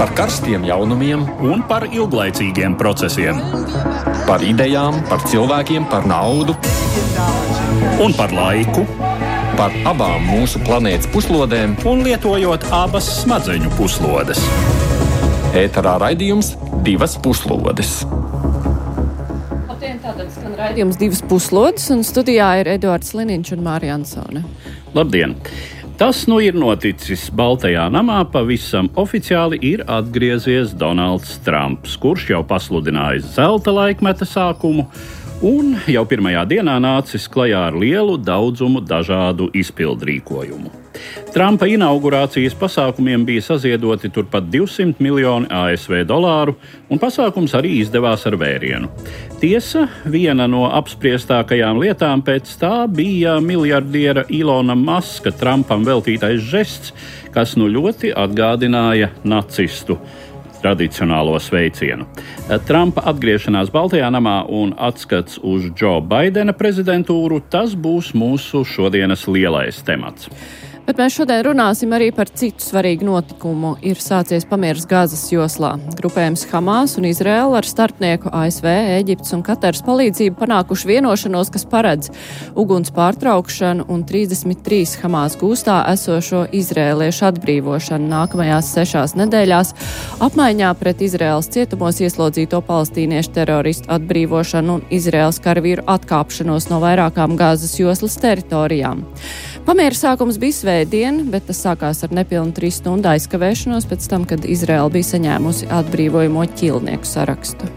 Par karstiem jaunumiem un par ilglaicīgiem procesiem. Par idejām, par cilvēkiem, par naudu un par laiku. Par abām mūsu planētas puslodēm un lietojot abas smadzeņu puslodes. Ēterā raidījums Divas puslodes. Tātad skan raidījums Divas puslodes, un studijā ir Eduards Liniņš un Mārija Ansone. Labdien! Tas nu ir noticis Baltajā namā. Pavisam oficiāli ir atgriezies Donalds Trumps, kurš jau pasludinājis zelta laikmeta sākumu un jau pirmajā dienā nācis klajā ar lielu daudzumu dažādu izpildrīkojumu. Trumpa inaugurācijas pasākumiem bija saziedoti turpat 200 miljoni ASV dolāru, un pasākums arī izdevās ar vērienu. Tiesa, viena no apspriestākajām lietām pēc tā bija miljardiera Ilona Maska Trumpam veltītais žests, kas nu ļoti atgādināja nacistu tradicionālo sveicienu. Trumpa atgriešanās Baltajā namā un atskats uz Džo Baidena prezidentūru, tas būs mūsu šodienas lielais temats. Bet mēs šodien runāsim arī par citu svarīgu notikumu. Ir sācies pamieris Gazas joslā. Grupējums Hamas un Izraela ar starpnieku ASV, Ēģiptes un Kataras palīdzību panākuši vienošanos, kas paredz uguns pārtraukšanu un 33 Hamas gūstā esošo izrēliešu atbrīvošanu nākamajās 6 nedēļās, apmaiņā pret Izraēlas cietumos ieslodzīto palestīniešu teroristu atbrīvošanu un Izraēlas karavīru atkāpšanos no vairākām Gazas joslas teritorijām. Pamiera sākums bija svētdien, bet tas sākās ar nepilnu 3 stundu aizkavēšanos pēc tam, kad Izraela bija saņēmusi atbrīvojamo ķīlnieku sarakstu.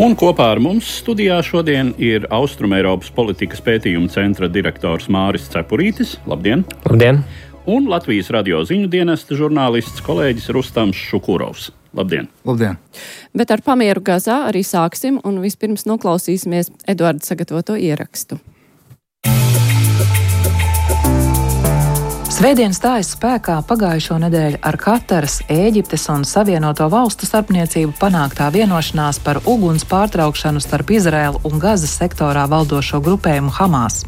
Un kopā ar mums studijā šodien ir Austrumeiropas politikas pētījuma centra direktors Māris Cepurītis. Labdien! Labdien! Un Latvijas radio ziņu dienesta žurnālists kolēģis Rustams Šukurovs. Labdien! Labdien! Bet ar pamieru Gazā arī sāksim, un vispirms noklausīsimies Eduarda sagatavoto ierakstu. Svētdien stājas spēkā pagājušo nedēļu ar Kataras, Ēģiptes un Savienoto Valstu starpniecību panāktā vienošanās par uguns pārtraukšanu starp Izraēlu un Gazas sektorā valdošo grupējumu Hamas.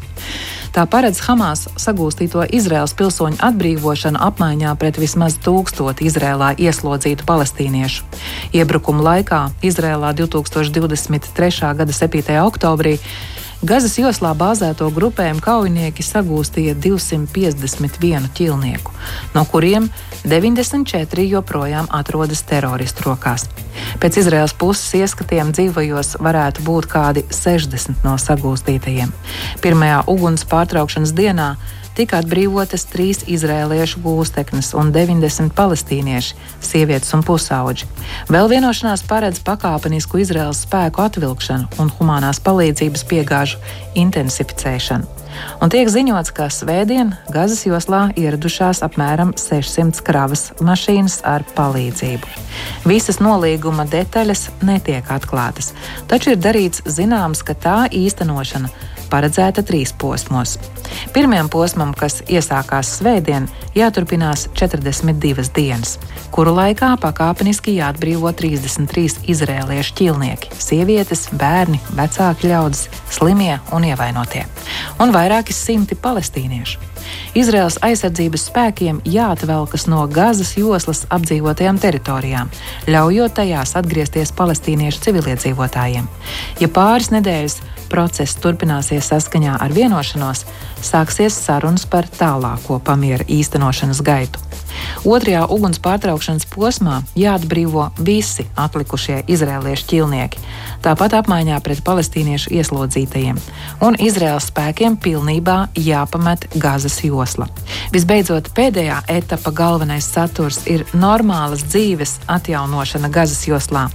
Tā paredz Hamas sagūstīto Izraēlas pilsoņu atbrīvošanu apmaiņā pret vismaz 1000 Izraēlā ieslodzītu palestīniešu. Iebrukuma laikā Izraēlā 2023. gada 7. oktobrī Gazas joslā bāzēto grupējumu kaujinieki sagūstīja 251 ķīlnieku, no kuriem 94 joprojām atrodas teroristu rokās. Pēc Izraēlas puses ieskatiem dzīvajos varētu būt kādi 60 no sagūstītajiem. Pirmajā uguns pārtraukšanas dienā tika atbrīvotas 3 izraēliešu gūsteknes un 90 palestīnieši, sievietes un pusauģi. Vēl vienošanās paredz pakāpenisku Izraēlas spēku atvilkšanu un humanās palīdzības piegāžu intensificēšanu. Un tiek ziņots, ka svētdien Gazas joslā ieradušās apmēram 600 kravas mašīnas ar palīdzību. Visas nolīguma detaļas netiek atklātas, taču ir darīts zināms, ka tā īstenošana paredzēta 3 posmos. Pirmajam posmam, kas iesākās svētdien, jāturpinās 42 dienas, kuru laikā pakāpeniski jāatbrīvo 33 izraēliešu ķīlnieki, sievietes, bērni, vecāki ļaudis, slimie un ievainotie, un vairāki 100 palestīniešu. Izraēlas aizsardzības spēkiem jāatvelkas no Gazas joslas apdzīvotajām teritorijām, ļaujot tajās atgriezties palestīniešu civiliedzīvotājiem. Ja pāris nedēļas process turpināsies saskaņā ar vienošanos, sāksies sarunas par tālāko pamiera īstenošanas gaitu. Otrajā uguns pārtraukšanas posmā jāatbrīvo visi atlikušie izraēliešu ķīlnieki, tāpat apmaiņā pret palestīniešu ieslodzītajiem, un Izraēlas spēkiem pilnībā jāpamet Gazas josla. Visbeidzot, pēdējā etapa galvenais saturs ir normālas dzīves atjaunošana Gazas joslā,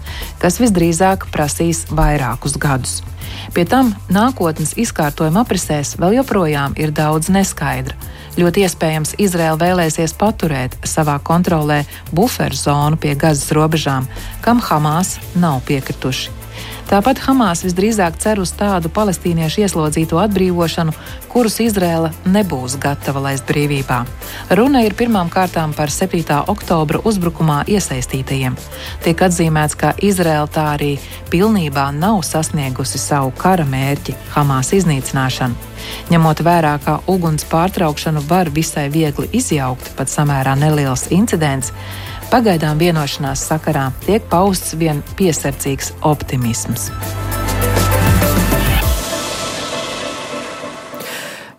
kas visdrīzāk prasīs vairākus gadus. Pie tam nākotnes izkārtojuma aprisēs vēl joprojām ir daudz neskaidra. Ļoti iespējams, Izraēla vēlēsies paturēt savā kontrolē buferu zonu pie Gazas robežām, kam Hamas nav piekrituši. Tāpat Hamas visdrīzāk cer uz tādu palestīniešu ieslodzīto atbrīvošanu, kurus Izraēla nebūs gatava laist brīvībā. Runa ir pirmām kārtām par 7. oktobra uzbrukumā iesaistītajiem. Tiek atzīmēts, ka Izraēla tā arī pilnībā nav sasniegusi savu kara mērķi – Hamas iznīcināšanu. Ņemot vērā, ka uguns pārtraukšanu var visai viegli izjaukt, pat samērā neliels incidents, Pagaidām vienošanās sakarā tiek pausts vien piesardzīgs optimisms.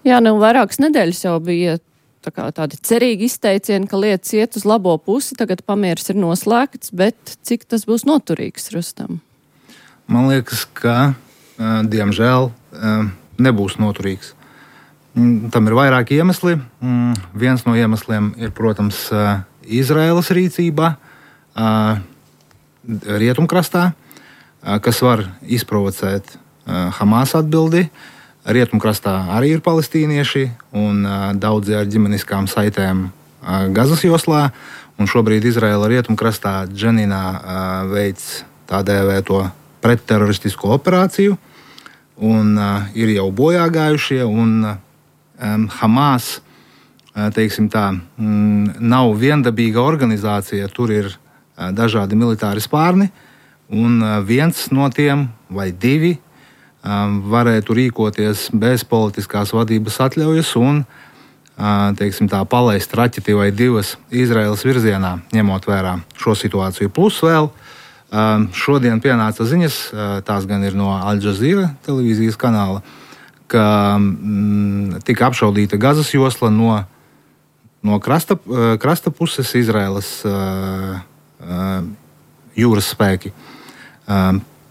Jā, vairākas nedēļas jau bija tādi cerīgi izteicieni, ka lietas iet uz labo pusi, tagad pamieris ir noslēgts, bet cik tas būs noturīgs, Rustam? Man liekas, ka, diemžēl, nebūs noturīgs. Tam ir vairāki iemesli. Viens no iemesliem ir, protams, Izraēlas rīcība rietumkrastā, kas var izprovocēt Hamas atbildi. Rietumkrastā arī ir palestīnieši un daudzi ar ģimeniskām saitēm Gazas joslā. Un šobrīd Izraēla rietumkrastā Dženinā veic tā dēvēto pretteroristisko operāciju. Un ir jau bojā gājušie. Un Hamas, teiksim tā, nav viendabīga organizācija. Tur ir dažādi militāri spārni. Un viens no tiem vai divi varētu rīkoties bez politiskās vadības atļaujas un, teiksim tā, palaist raķeti vai divas Izraēlas virzienā, ņemot vērā šo situāciju. Plus vēl šodien pienāca ziņas, tās gan ir no Al Jazeera televīzijas kanāla, ka tika apšaudīta Gazas josla no krasta puses Izraēlas jūras spēki.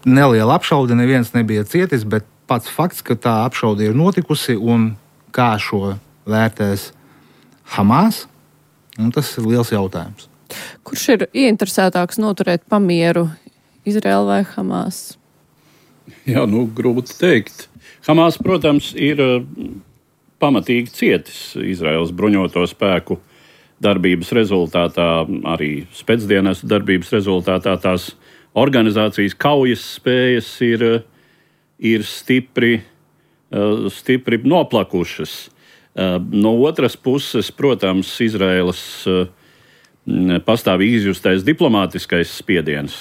Neliela apšaude, neviens nebija cietis, bet pats fakts, ka tā apšaude ir notikusi un kā šo vērtēs Hamas, tas ir liels jautājums. Kurš ir ieinteresētāks noturēt pamieru, Izraēla vai Hamas? Jā, grūti teikt. Hamas, protams, ir pamatīgi cietis Izraēlas bruņoto spēku darbības rezultātā, arī spēcdienestu darbības rezultātā tās organizācijas kaujas spējas ir stipri noplakušas. No otras puses, protams, Izraēlas pastāvīgi izjustais diplomātiskais spiediens.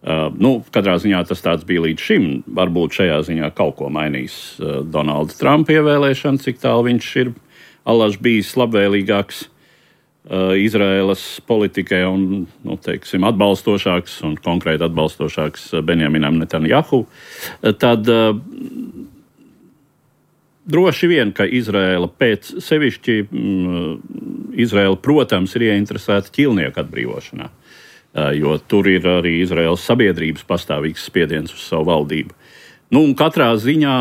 Katrā ziņā tas tāds bija līdz šim. Varbūt šajā ziņā kaut ko mainīs Donalda Trumpa ievēlēšana, cik tālu viņš ir allaž bijis labvēlīgāks Izraēlas politikai un, teiksim, atbalstošāks un konkrēti atbalstošāks Benjaminam Netanjahu, tad droši vien, ka Izraēla Izraēla, protams, ir ieinteresēta ķīlnieku atbrīvošanā, jo tur ir arī Izraēlas sabiedrības pastāvīgs spiediens uz savu valdību. Un katrā ziņā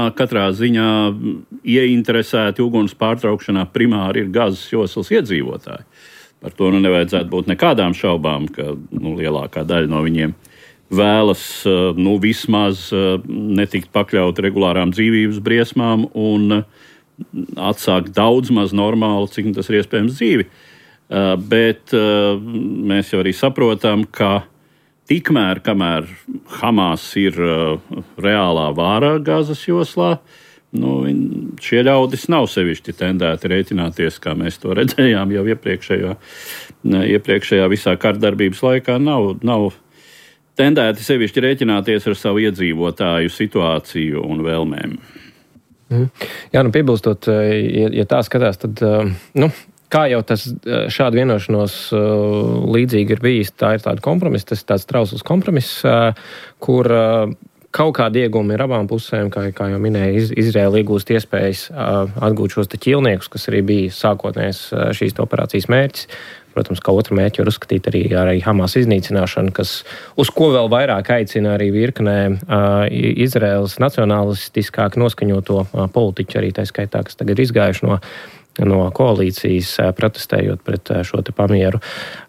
ieinteresēti uguns pārtraukšanā primāri ir Gazas joslas iedzīvotāji. Par to nevajadzētu būt nekādām šaubām, ka lielākā daļa no viņiem vēlas vismaz netikt pakļaut regulārām dzīvības briesmām un atsākt daudz maz normālu, cik tas ir iespējams, dzīvi. Bet mēs jau arī saprotam, ka tikmēr, kamēr Hamas ir reālā vārā Gazas joslā, šie ļaudis nav sevišķi tendēti rēķināties, kā mēs to redzējām jau iepriekšējā visā kardarbības laikā. Nav tendēti sevišķi rēķināties ar savu iedzīvotāju situāciju un vēlmēm. Jā, piebilstot, ja tā skatās, tad, kā jau tas šāda vienošanos līdzīgi ir bijis, tā ir tāda kompromisa, tas ir tāds trausls kompromiss, kur kaut kādi iegūmi ir abām pusēm, kā jau minēja, Izraēla iegūst iespējas atgūt šos ķīlniekus, kas arī bija sākotnējais šīs operācijas mērķis. Protams, kā otru mērķi var uzskatīt arī Hamas iznīcināšanu, uz ko vēl vairāk aicina arī virknē Izraēlas nacionalistiskāk noskaņoto politiķu, arī tā skaitā, kas tagad ir izgājuši no koalīcijas, protestējot pret šo te pamieru.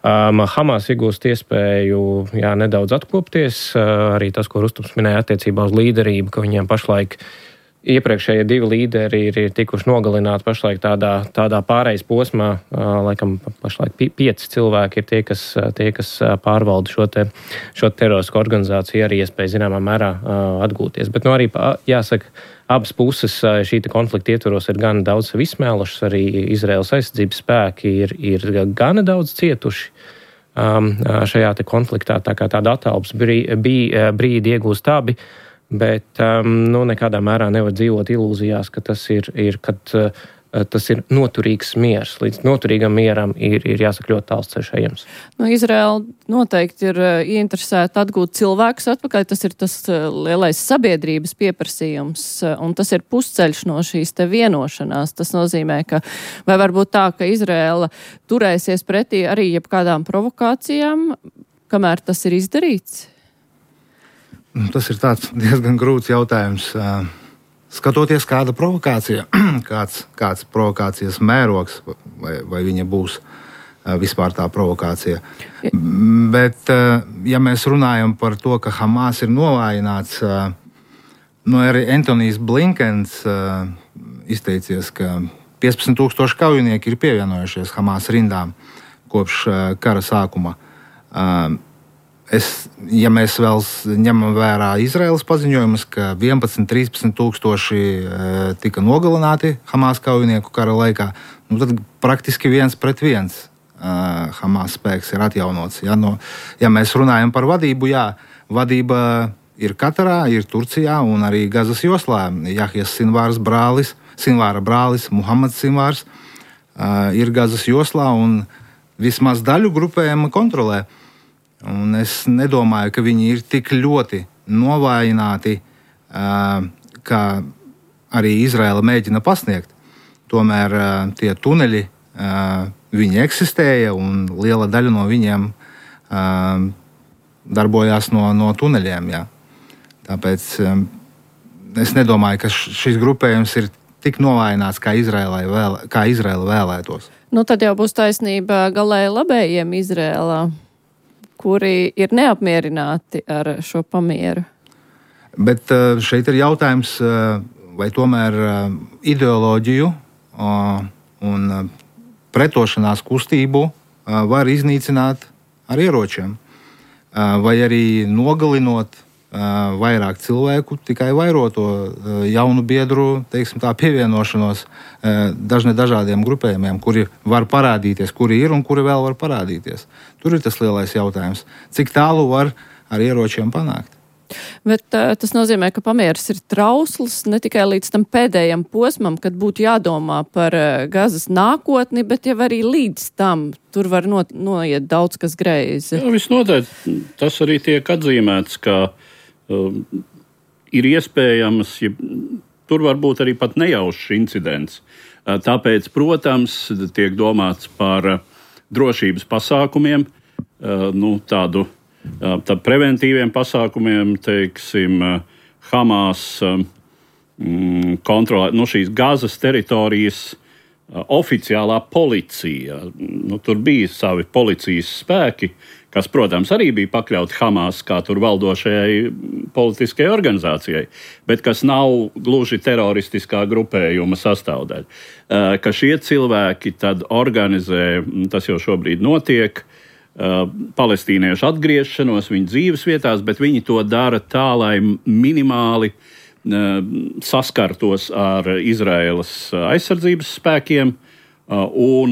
Hamas iegūst iespēju nedaudz atkopties, arī tas, ko Rustums minēja attiecībā uz līderību, ka viņiem pašlaik iepriekšējie divi līderi ir tikuši nogalināti pašlaik tādā pārejas posmā, laikam pašlaik 5 cilvēki ir tie, kas pārvalda šo teroristisko organizāciju, arī iespēja zināmā mērā atgūties. Bet arī jāsaka, abas puses šī konflikta ietvaros ir gan daudz sevi izsmēlušas, arī Izraēlas aizsardzības spēki ir gana daudz cietuši šajā konfliktā, tā kā tāda atalpas brīdi iegūst abi. Bet nekādā mērā nevar dzīvot ilūzijās, ka tas ir kad tas ir noturīgs miers. Līdz noturīgam mieram ir jāsaka ļoti tāls ceļš ejams. Izraēla noteikti ir ieinteresēta atgūt cilvēkus atpakaļ. Tas ir tas lielais sabiedrības pieprasījums, un tas ir pusceļš no šīs te vienošanās. Tas nozīmē, ka vai varbūt tā, ka Izraēla turēsies pretī arī jebkādām provokācijām, kamēr tas ir izdarīts? Tas ir tāds diezgan grūts jautājums. Skatoties, kāda provokācija, kāds provokācijas mērogs, vai viņa būs vispār tā provokācija. Bet, ja mēs runājam par to, ka Hamas ir novājināts, arī Antonijs Blinkens izteicies, ka 15,000 kaujinieki ir pievienojušies Hamas rindām kopš kara sākuma. Ja mēs vēl ņemam vērā Izraēlas paziņojumus, ka 11-13 tūkstoši tika nogalināti Hamas kaujinieku kara laikā, tad praktiski 1-1 Hamas spēks ir atjaunots. Ja mēs runājam par vadību, vadība ir Katarā, ir Turcijā un arī Gazas joslā. Jahjas Sinvāra brālis Muhammads Sinvārs ir Gazas joslā un vismaz daļu grupējuma kontrolē. Un es nedomāju, ka viņi ir tik ļoti novājināti, kā arī Izraēla mēģina pasniegt. Tomēr tie tuneļi, viņi eksistēja un liela daļa no viņiem darbojās no tuneļiem. Jā. Tāpēc es nedomāju, ka šis grupējums ir tik novājināts, kā Izraēla vēlētos. Tad jau būs taisnība galēji labējiem Izraēlā, kuri ir neapmierināti ar šo pamieru. Bet šeit ir jautājums, vai tomēr ideoloģiju un pretošanās kustību var iznīcināt ar ieročiem, vai arī nogalinot vairāk cilvēku, tikai vairoto jaunu biedru, pievienošanos dažādiem grupējumiem, kuri var parādīties, kuri ir un kuri vēl var parādīties. Tur ir tas lielais jautājums. Cik tālu var ar ieročiem panākt? Bet tas nozīmē, ka pamieris ir trausls ne tikai līdz tam pēdējam posmam, kad būtu jādomā par Gazas nākotni, bet jau arī līdz tam tur var noiet daudz kas greizi. Visnotaļ tas arī tiek atzīmēts, ka ir iespējams, tur var būt arī pat nejaušs incidents. Tāpēc, protams, tiek domāts par drošības pasākumiem, tādu preventīviem pasākumiem, Hamas kontrolē, šīs Gazas teritorijas oficiālā policija. Tur bija savi policijas spēki, kas, protams, arī bija pakļauti Hamas kā tur valdošajai politiskajai organizācijai, bet kas nav gluži teroristiskā grupējuma sastāvdaļa. Ka šie cilvēki tad organizē, tas jau šobrīd notiek, palestīniešu atgriešanos viņu dzīves vietās, bet viņi to dara tā, lai minimāli saskartos ar Izraēlas aizsardzības spēkiem un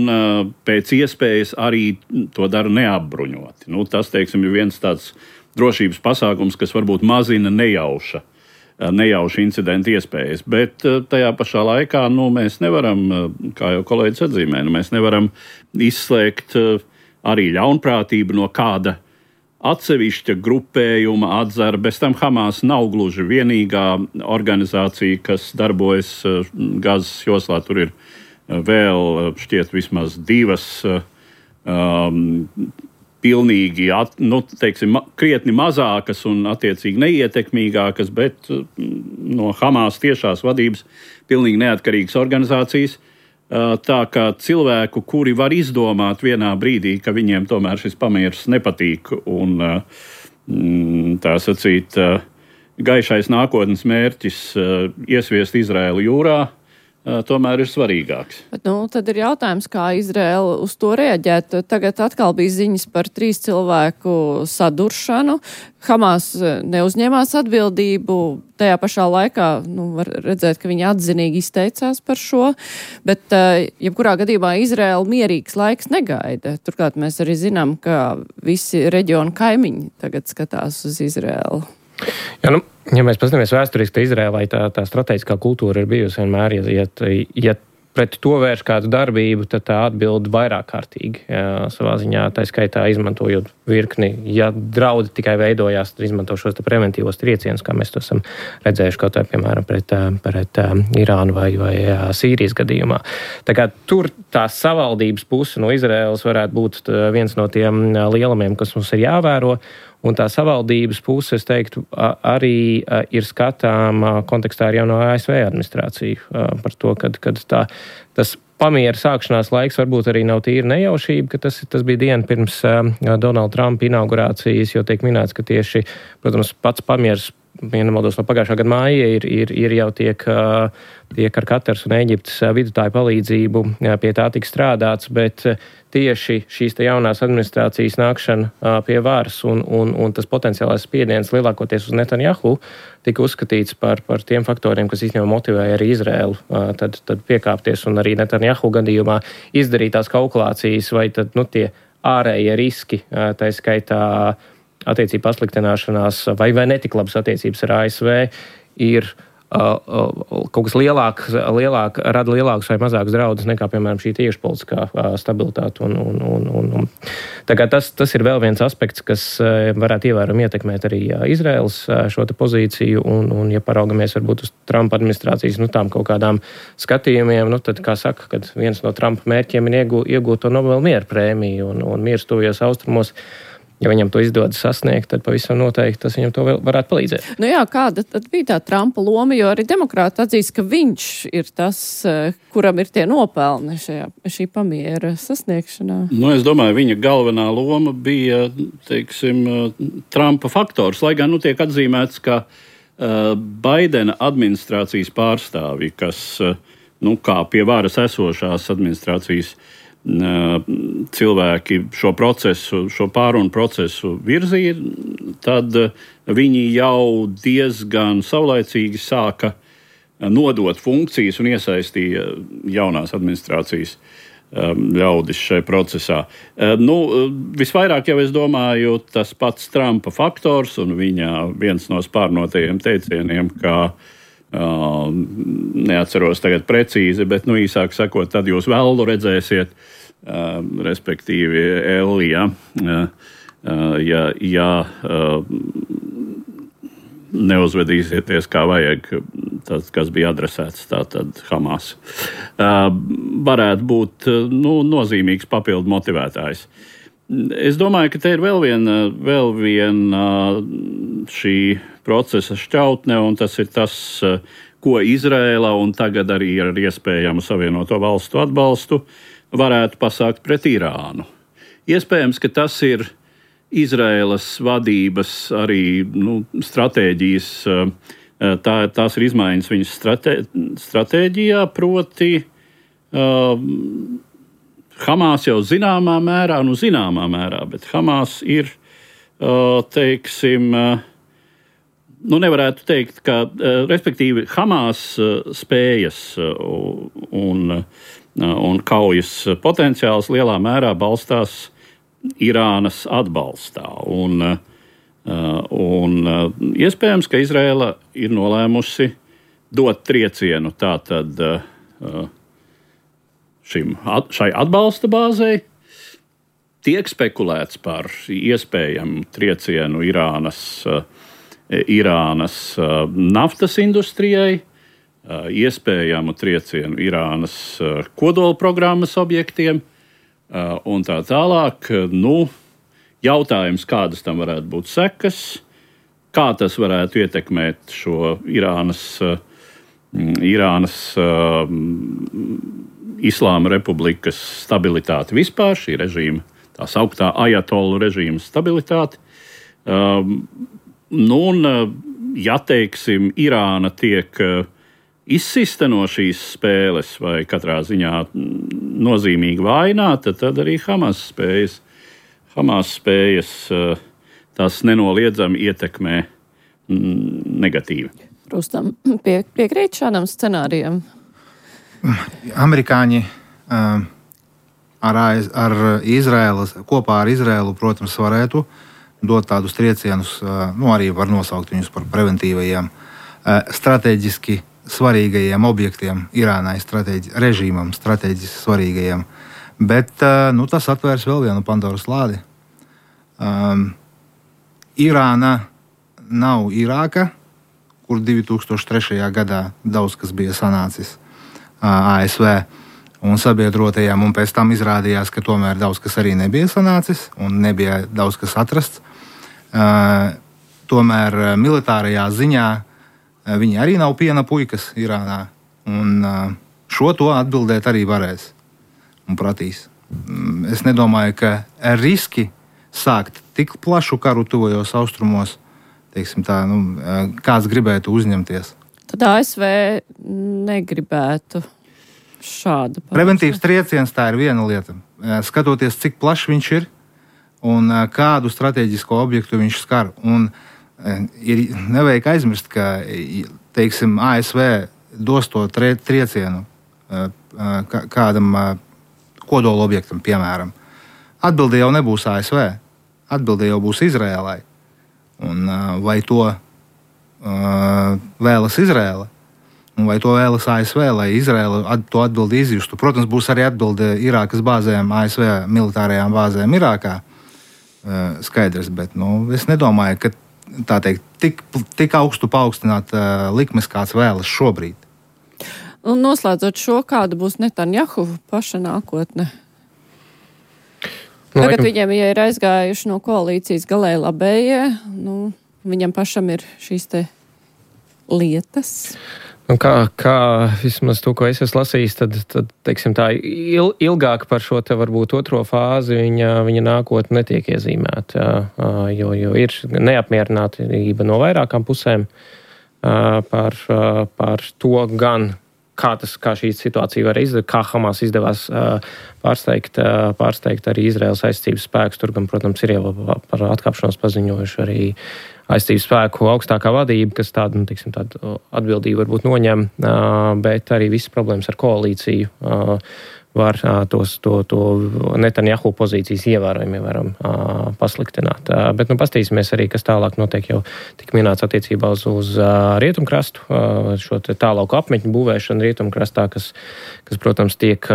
pēc iespējas arī to dara neapbruņoti. Tas, ir viens tāds drošības pasākums, kas varbūt mazina nejauša incidentu iespējas. Bet tajā pašā laikā mēs nevaram, kā jau kolēģis atzīmē, mēs nevaram izslēgt arī ļaunprātību no kāda atsevišķa grupējuma atzara. Bez tam Hamas nav gluži vienīgā organizācija, kas darbojas Gazas joslā. Tur ir vēl šķiet vismaz divas pilnīgi, krietni mazākas un attiecīgi neietekmīgākas, bet no Hamas tiešās vadības pilnīgi neatkarīgas organizācijas. Tā kā cilvēku, kuri var izdomāt vienā brīdī, ka viņiem tomēr šis pamieris nepatīk un tā sacīt gaišais nākotnes mērķis iesviest Izraēlu jūrā, tomēr ir svarīgāks. Bet, tad ir jautājums, kā Izraēla uz to reaģēt. Tagad atkal bija ziņas par 3 cilvēku saduršanu. Hamas neuzņēmās atbildību. Tajā pašā laikā var redzēt, ka viņi atzinīgi izteicās par šo. Bet, jebkurā gadījumā Izraēla mierīgs laiks negaida. Turklāt mēs arī zinām, ka visi reģionu kaimiņi tagad skatās uz Izraēlu. Ja mēs paskatāmies vēsturiski, tad Izrēlai tā strateģiskā kultūra ir bijusi vienmēr, ja pret to vērš kādu darbību, tad tā atbild vairāk kārtīgi savā ziņā, tā skaitā izmantojot virkni. Ja draudi tikai veidojās, tad izmanto šos preventīvos triecienus, kā mēs to esam redzējuši kaut vai, piemēram, pret Irānu vai Sīrijas gadījumā. Tā kā tur tā savaldības puse no Izraēlas varētu būt viens no tiem lielamiem, kas mums ir jāvēro. Un tā savaldības puse, es teiktu, arī ir skatām kontekstā ar jauno ASV administrāciju par to, kad tas pamiera sākšanās laiks varbūt arī nav tīra nejaušība, ka tas bija diena pirms Donalda Trumpa inaugurācijas, jo tiek minēts, ka tieši, protams, pats pamieras, ja nemaldos, no pagājušā gada māja ir jau tiek ar Kataras un Ēģiptes vidutāju palīdzību pie tā tik strādāts, bet tieši šīs te jaunās administrācijas nākšana pie varas un tas potenciālais spiediens lielākoties uz Netanjahu tika uzskatīts par tiem faktoriem, kas īstenībā motivēja arī Izraēlu tad piekāpties un arī Netanjahu gadījumā izdarīt tās kalkulācijas vai tad, tie ārējie riski, tā skaitā attiecību pasliktināšanās vai netik labas attiecības ar ASV ir kaut kas rada lielākus vai mazākus draudus nekā, piemēram, šī iekšpolitiskā stabilitāte. Un tā kā tas ir vēl viens aspekts, kas varētu ievērojami ietekmēt arī Izraēlas šo te pozīciju, un ja paraugamies varbūt uz Trumpa administrācijas, tām kaut kādām skatījumiem, tad, kā saka, kad viens no Trumpa mērķiem ir iegūt to Nobela miera prēmiju un miers tuvajos austrumos. Ja viņam to izdodas sasniegt, tad pavisam noteikti tas viņam to vēl varētu palīdzēt. Kāda tad bija tā Trumpa loma, jo arī demokrāti atzīst, ka viņš ir tas, kuram ir tie nopelni šī pamiera sasniegšanā? Es domāju, viņa galvenā loma bija, Trumpa faktors, lai gan tiek atzīmēts, ka Baidena administrācijas pārstāvi, kas, kā pie varas esošās administrācijas cilvēki šo pārunu procesu virzīja, tad viņi jau diezgan saulaicīgi sāka nodot funkcijas un iesaistīja jaunās administrācijas ļaudis šajā procesā. Visvairāk jau es domāju tas pats Trumpa faktors un viņa viens no spārnotajiem teicieniem, kā neatceros tagad precīzi, bet īsāk sakot, tad jūs velnu redzēsiet, respektīvi Elija, ja neuzvedīsieties kā vajag, tas, kas bija adresēts tātad Hamas, varētu būt nozīmīgs papildu motivētājs. Es domāju, ka te ir vēl viena šī procesa šķautne, un tas ir tas, ko Izraēla un tagad arī ar iespējamu Savienoto Valstu atbalstu varētu pasākt pret Irānu. Iespējams, ka tas ir Izraēlas vadības arī stratēģijas, tās ir izmaiņas viņas stratēģijā, proti Hamas jau zināmā mērā, bet Hamas ir, nevarētu teikt, ka, respektīvi, Hamas spējas un kaujas potenciāls lielā mērā balstās Irānas atbalstā. Un iespējams, ka Izraēla ir nolēmusi dot triecienu tātad šai atbalsta bāzei. Tiek spekulēts par iespējamu triecienu Irānas naftas industrijai, iespējamu triecienu Irānas kodola programmas objektiem un tā tālāk. Jautājums, kādas tam varētu būt sekas, kā tas varētu ietekmēt šo Irānas Islāma republikas stabilitāti vispār, šī režīma, tā sauktā ajatolu režīma stabilitāti. Ja, teiksim, Irāna tiek izsista no šīs spēles vai katrā ziņā nozīmīgi vājināta, tad arī Hamas spējas tās nenoliedzami ietekmē negatīvi. Rustam, piekrīt šādam scenārijam? Amerikāņi kopā ar Izraēlu, protams, varētu dot tādus triecienus, arī var nosaukt viņus par preventīvajiem, strateģiski svarīgajiem objektiem Irānai režīmam, strateģiski svarīgajiem. Bet tas atvērs vēl vienu Pandoras lādi. Irāna nav Irāka, kur 2003. gadā daudz kas bija sanācis ASV un sabiedrotajiem, un pēc tam izrādījās, ka tomēr daudz kas arī nebija sanācis un nebija daudz kas atrasts. Tomēr militārajā ziņā viņi arī nav piena puikas Irānā, un šo to atbildēt arī varēs un pratīs. Es nedomāju, ka riski sākt tik plašu karu tuvajos austrumos, teiksim tā, kāds gribētu uzņemties. Tad ASV negribētu šādu pauzi. Preventīvs trieciens tā ir viena lieta. Skatoties, cik plašs viņš ir un kādu strateģisko objektu viņš skar. Un ir nevajag aizmirst, ka, teiksim, ASV dos to triecienu kādam kodola objektam, piemēram. Atbilde jau nebūs ASV, atbilde jau būs Izrēlai. Un vai to vēlas Izrēla? Un vai to vēlas ASV, lai Izrēla to atbildi izjustu? Protams, būs arī atbilde Irākas bāzēm, ASV militārajām bāzēm Irākā. Skaidrs, bet es nedomāju, ka tā teikt, tik augstu paaugstināt likmes, kāds vēlas šobrīd. Un noslēdzot šo, kāda būs Netanjahu paša nākotne? Tagad viņiem, ja ir aizgājuši no koalīcijas galēji labējie, viņam pašam ir šīs te lietas. Kā vismaz to, ko es esmu lasījis, tad teiksim tā, ilgāk par šo te varbūt otro fāzi viņa nākotne netiek iezīmēta, jo ir neapmierinātība no vairākām pusēm par to gan, kā šī situācija var izdarīt, kā Hamas izdevās pārsteigt arī Izraēlas aizsardzības spēkus. Tur gan, protams, ir jau par atkāpšanos paziņojuši arī aizsardzības spēku augstākā vadība, kas tādu atbildību varbūt noņem, bet arī visas problēmas ar koalīciju var to Netanjahu pozīcijas ievērojami pasliktināt. Bet pastīsimies arī, kas tālāk notiek jau tik minēts attiecībā uz rietumkrastu, šo tālāku apmetņu būvēšanu rietumkrastā, kas, protams, tiek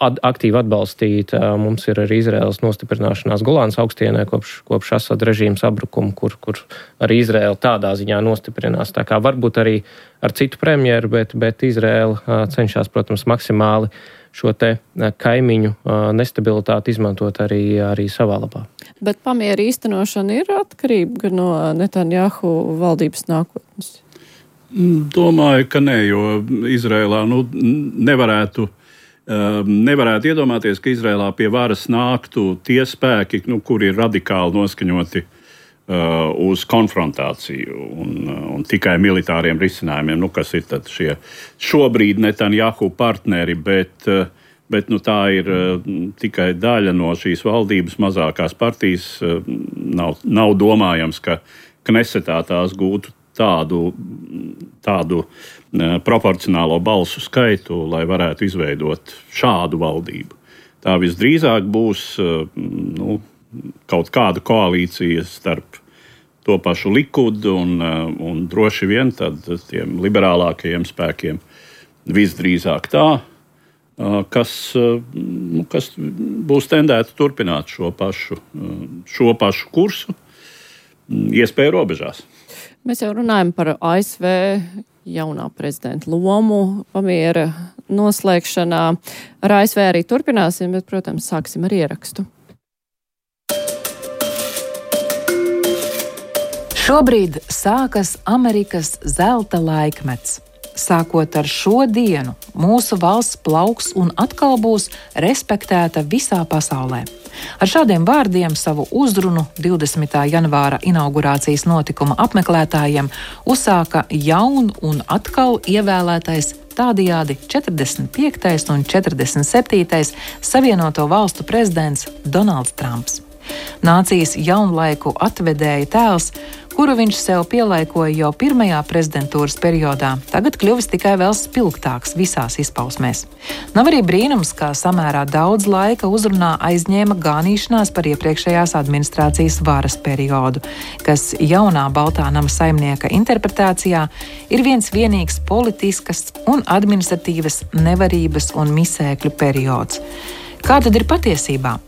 aktīvi atbalstīta. Mums ir arī Izraēlas nostiprināšanās Golānas augstienē kopš Asada režīma sabrukuma, kur arī Izraēla tādā ziņā nostiprinās. Tā kā varbūt arī ar citu premjeru, bet Izraēla cenšas, protams, maksimāli šo te kaimiņu nestabilitāti izmantot arī savā labā. Bet pamiera īstenošana ir atkarība no Netanjahu valdības nākotnes? Domāju, ka nē, jo Izrēlā nevarētu iedomāties, ka Izrēlā pie varas nāktu tie spēki, kuri ir radikāli noskaņoti uz konfrontāciju un tikai militāriem risinājumiem, kas ir tad šie šobrīd Netanjahu partneri, bet tā ir tikai daļa no šīs valdības mazākās partijas. Nav domājams, ka Knesetā tās gūtu tādu proporcionālo balsu skaitu, lai varētu izveidot šādu valdību. Tā visdrīzāk būs kaut kāda koalīcija starp to pašu Likudu un droši vien tad tiem liberālākajiem spēkiem visdrīzāk tā, kas būs tendēti turpināt šo pašu kursu, iespēju robežās. Mēs jau runājam par ASV jaunā prezidenta lomu pamiera noslēgšanā. Ar ASV arī turpināsim, bet, protams, sāksim ar ierakstu. Šobrīd sākas Amerikas zelta laikmets. Sākot ar šo dienu, mūsu valsts plauks un atkal būs respektēta visā pasaulē. Ar šādiem vārdiem savu uzrunu 20. janvāra inaugurācijas notikuma apmeklētājiem uzsāka jaun un atkal ievēlētais tādējādi 45. un 47. Savienoto valstu prezidents Donalds Trumps. Nācijas jaunlaiku atvedēja tēls, kuru viņš sev pielaikoja jau pirmajā prezidentūras periodā, tagad kļuvis tikai vēl spilgtāks visās izpausmēs. Nav arī brīnums, ka samērā daudz laika uzrunā aizņēma ganīšanās par iepriekšējās administrācijas varas periodu, kas jaunā Baltā nama saimnieka interpretācijā ir viens vienīgs politiskas un administratīvas nevarības un misēkļu periods. Kā tad ir patiesībā?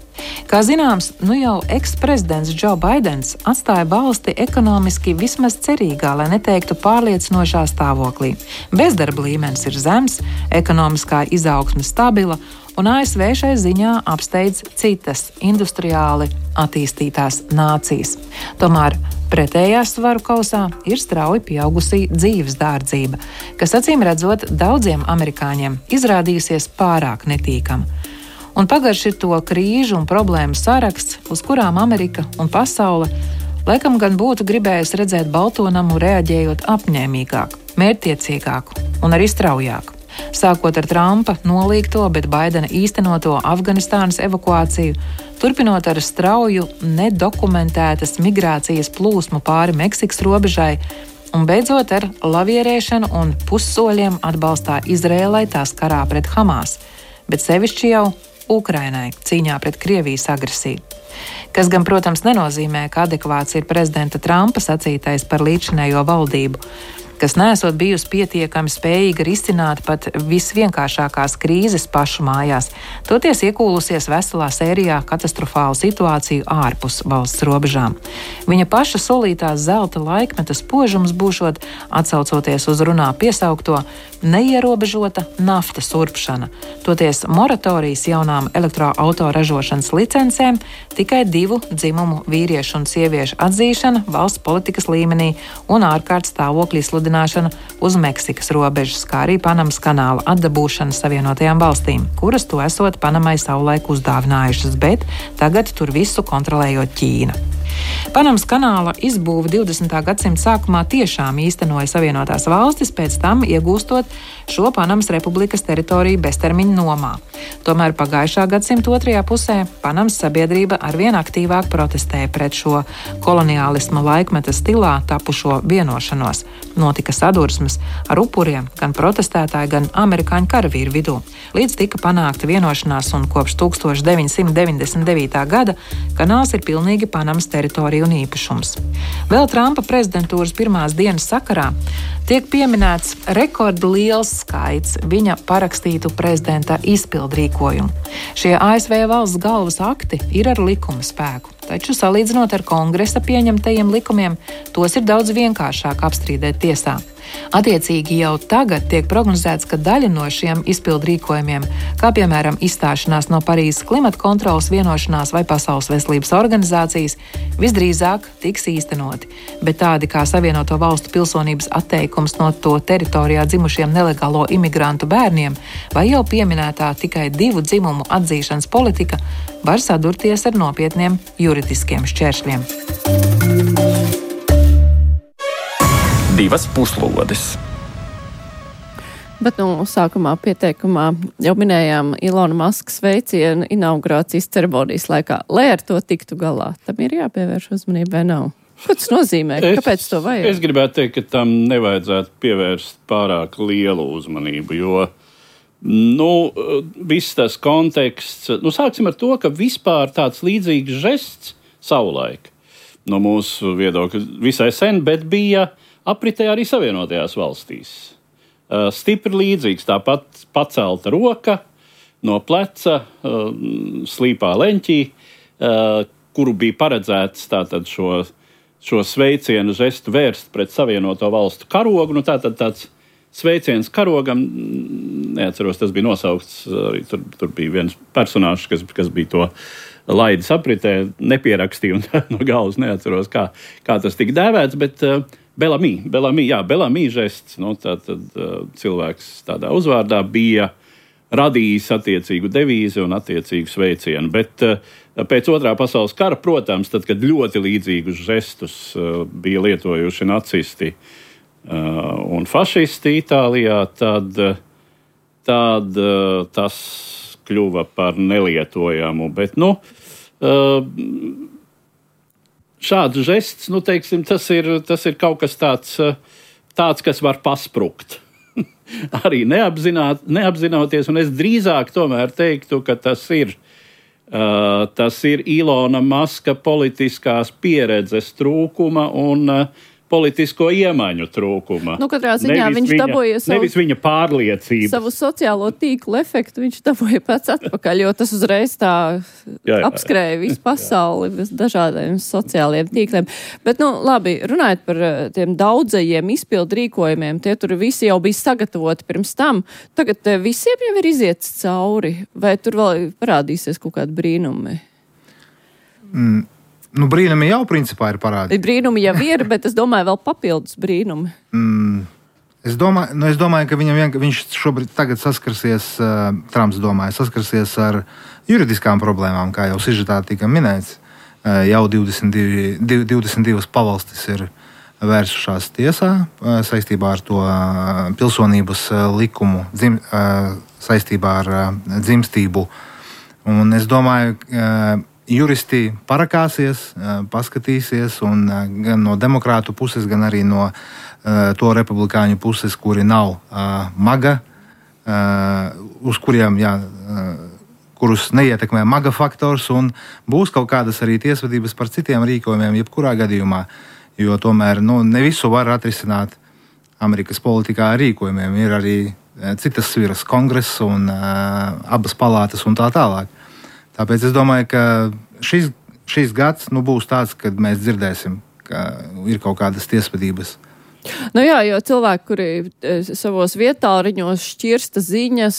Kā zināms, jau eksprezidents Džo Baidens atstāja valsti ekonomiski vismaz cerīgā, lai neteiktu pārliecinošā stāvoklī. Bezdarba līmenis ir zems, ekonomiskā izaugsme stabila, un ASV šai ziņā apsteidz citas industriāli attīstītās nācijas. Tomēr pretējā svaru kausā ir strauji pieaugusī dzīves dārdzība, kas acīm redzot daudziem amerikāņiem izrādījusies pārāk netīkama. Un pagarš ir to krīžu un problēmu saraksts, uz kurām Amerika un pasaule laikam gan būtu gribējusi redzēt Balto namu reaģējot apņēmīgāk, mērķtiecīgāk un arī straujāk. Sākot ar Trumpa nolīgto, bet Baidena īstenoto Afganistānas evakuāciju, turpinot ar strauju, nedokumentētas migrācijas plūsmu pāri Meksikas robežai un beidzot ar lavierēšanu un pussoļiem atbalstā Izrēlai tās karā pret Hamas, bet sevišķi jau Ukrainai cīņā pret Krievijas agresiju. Kas gan, protams, nenozīmē, ka adekvāts ir prezidenta Trumpa sacītais par līdzinējo valdību, kas nesot bijusi pietiekami spējīga risināt pat visvienkāršākās krīzes pašu mājās, toties iekūlusies veselā sērijā katastrofālu situāciju ārpus valsts robežām. Viņa paša solītās zelta laikmeta spožums būšot, atsaucoties uz runā piesaukto, neierobežota naftas urpšana, toties moratorijas jaunām elektroautoražošanas licencēm, tikai 2 dzimumu vīriešu un sieviešu atzīšana valsts politikas līmenī un ārkārtas stāvokļa izsludināšana uz Meksikas robežas, kā arī Panamas kanāla atdabūšana Savienotajām valstīm, kuras to esot Panamai savulaik uzdāvinājušas, bet tagad tur visu kontrolējot Ķīna. Panamas kanāla izbūve 20. gadsimta sākumā tiešām īstenoja Savienotās valstis, pēc tam iegūstot šo Panamas republikas teritoriju beztermiņa nomā. Tomēr pagājušā gadsimta otrajā pusē Panamas sabiedrība arvien aktīvāk protestēja pret šo koloniālisma laikmeta stilā tapušo vienošanos. Notika sadursmes ar upuriem gan protestētāju, gan amerikāņu karavīru vidū. Līdz tika panākta vienošanās un kopš 1999. gada kanāls ir pilnīgi Panamas teritorija un īpašums. Vēl Trumpa prezidentūras pirmās dienas sakarā tiek pieminēts rekordliels skaits viņa parakstītu prezidenta izpildrīkojumu. Šie ASV valsts galvas akti ir ar likuma spēku, taču salīdzinot ar kongresa pieņemtajiem likumiem, tos ir daudz vienkāršāk apstrīdēt tiesā. Attiecīgi jau tagad tiek prognozēts, ka daļa no šiem izpildrīkojumiem, kā piemēram izstāšanās no Parīzes klimata kontrolas vienošanās vai Pasaules veselības organizācijas, visdrīzāk tiks īstenoti, bet tādi kā Savienoto valstu pilsonības atteikums no to teritorijā dzimušiem nelegālo imigrantu bērniem vai jau pieminētā tikai 2 dzimumu atzīšanas politika var sadurties ar nopietniem juridiskiem šķēršļiem. 2 puslodes. Bet sākumā pieteikumā jau minējām Ilona Maska sveicienu inaugurācijas ceremonijas laikā. Lai ar to tiktu galā, tam ir jāpievērš uzmanība vai nav? Ko tas nozīmē? Kāpēc to vajag? Es gribētu teikt, ka tam nevajadzētu pievērst pārāk lielu uzmanību, jo viss tas konteksts, sāksim ar to, ka vispār tāds līdzīgs žests savulaik no mūsu viedokļa visai sen, bet bija apritē arī Savienotajās valstīs. Stipri līdzīgs, tāpat pacelta roka no pleca slīpā leņķī, kuru bija paredzēts tātad šo sveicienu žestu vērst pret Savienoto valstu karogu. Tātad tāds sveiciens karogam, neatceros, tas bija nosaukts, arī tur bija viens personāžs, kas bija to laidis apritē, nepierakstīja un no galvas neatceros, kā tas tika dēvēts, bet Belami žests, tātad cilvēks tādā uzvārdā bija radījis attiecīgu devīzi un attiecīgu sveicienu. Bet pēc Otrā pasaules kara, protams, tad, kad ļoti līdzīgus žestus bija lietojuši nacisti un fašisti Itālijā, tad tas kļuva par nelietojamu. Bet, šāds žests, nu, teiksim, tas ir kaut kas tāds, kas var pasprukt. Arī neapzinoties, un es drīzāk tomēr teiktu, ka tas ir Ilona Maska politiskās pieredzes trūkuma un politisko iemaņu trūkuma. Nu, katrā ziņā viņš dabūja nevis viņa pārliecību. Savu sociālo tīklu efektu viņš dabūja pēc atpakaļ, jo tas uzreiz tā apskrēja visu pasauli bez dažādiem sociāliem tīkliem. Bet, nu, labi, runājot par tiem daudzajiem izpildu rīkojumiem, tie tur visi jau bija sagatavoti pirms tam. Tagad visiem jau ir iziets cauri, vai tur vēl parādīsies kaut kādi brīnumi? Nu, brīnumi jau principā ir parādīti. Brīnumi jau ir, bet es domāju, vēl papildus brīnumi. Es domāju, ka viņš šobrīd tagad saskarsies, Trumps domāja, saskarsies ar juridiskām problēmām, kā jau sižetā tika minēts. Jau 22 pavalstis ir vērsušās tiesā saistībā ar to pilsonības likumu, saistībā ar dzimstību. Un es domāju, juristi parakāsies, paskatīsies, un gan no demokrātu puses, gan arī no to republikāņu puses, kuri nav maga, uz kuriem, kurus neietekmē maga faktors, un būs kaut kādas arī tiesvedības par citiem rīkojumiem, jebkurā gadījumā, jo tomēr ne visu var atrisināt Amerikas politikā ar rīkojumiem. Ir arī citas sviras, kongress un abas palātas un tā tālāk. Tāpēc es domāju, ka šis gads būs tāds, kad mēs dzirdēsim, ka ir kaut kādas tiesvedības. Nu jā, jo cilvēki, kuri savos vietāriņos šķirsta ziņas,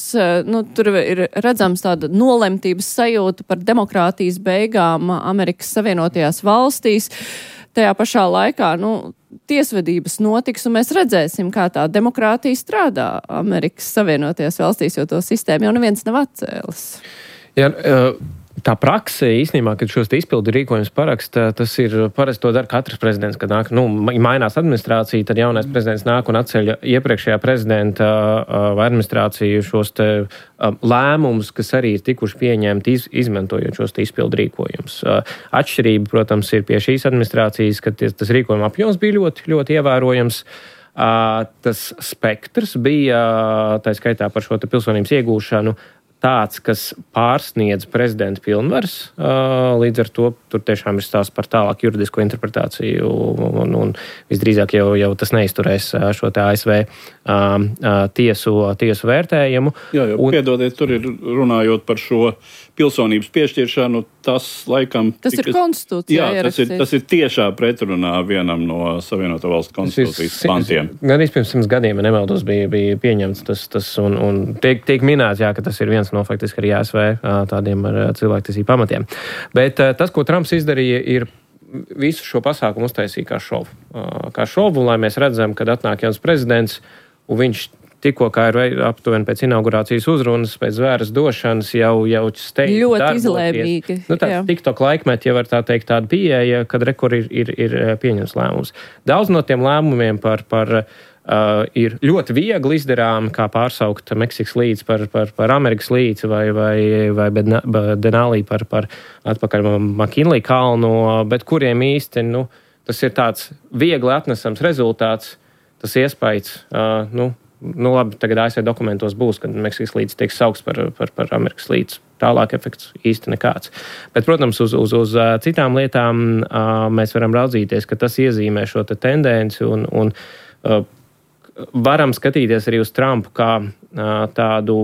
tur ir redzams tāda nolemtības sajūta par demokrātijas beigām Amerikas Savienotajās valstīs. Tajā pašā laikā, tiesvedības notiks, un mēs redzēsim, kā tā demokrātija strādā Amerikas Savienotajās valstīs, jo to sistēmu jau neviens nav atcēlis. Ja, tā prakse īstenībā, kad šos izpildu rīkojumus paraksta, tas ir parasti to dara katrs prezidents, kad nāk, mainās administrācija, tad jaunais prezidents nāk un atceļ iepriekšējā prezidenta vai administrāciju šos te lēmumus, kas arī ir tikuši pieņemti izmantojot šos te izpildu rīkojumus. Atšķirība, protams, ir pie šīs administrācijas, ka tas rīkojuma apjoms bija ļoti, ļoti ievērojams. Tas spektrs bija, tā skaitā par šo te pilsonības iegūšanu, tāds, kas pārsniedz prezidenta pilnvaras, līdz ar to tur tiešām ir stāsts par tālāku juridisko interpretāciju un visdrīzāk jau tas neizturēs šo te ASV tiesu vērtējumu. Jā, piedodiet, tur ir runājot par šo pilsonības piešķiršanu, tas laikam... Tas ir konstitūcijā ierakstīts. Tas ir tiešā pretrunā vienam no Savienoto Valstu konstitūcijas pantiem. Gan pirms 100 gadiem, ja nemaldos, bija pieņemts tas un tiek minēts, ka tas ir viens no faktiski arī ASV tādiem ar cilvēktiesību pamatiem. Bet tas, ko Trumps izdarīja, ir visu šo pasākumu uztaisīja kā šovu. Kā šovu, lai mēs redzam, kad atnāk jauns prezidents, un viņš tikko kā ir aptuveni pēc inaugurācijas uzrunas, pēc zvēras došanas jau steidz ļoti darboties. Izlēmīgi. Tāds TikTok laikmet, ja var tā teikt, tāda pieeja, kad rekur ir pieņems lēmums. Daudz no tiem lēmumiem ir ļoti viegli izdarāmi, kā pārsaukt Meksikas līci par Amerikas līci vai Denali par atpakaļ McKinley kalnu, bet kuriem īsti, tas ir tāds viegli atnesams rezultāts, tas iespējas, labi, tagad ASV dokumentos būs, kad Meksikas līcis tiek saukts par Amerikas līci. Tālāk efekts īsti nekāds. Bet, protams, uz citām lietām mēs varam raudzīties, ka tas iezīmē šo te tendenci un varam skatīties arī uz Trumpu kā tādu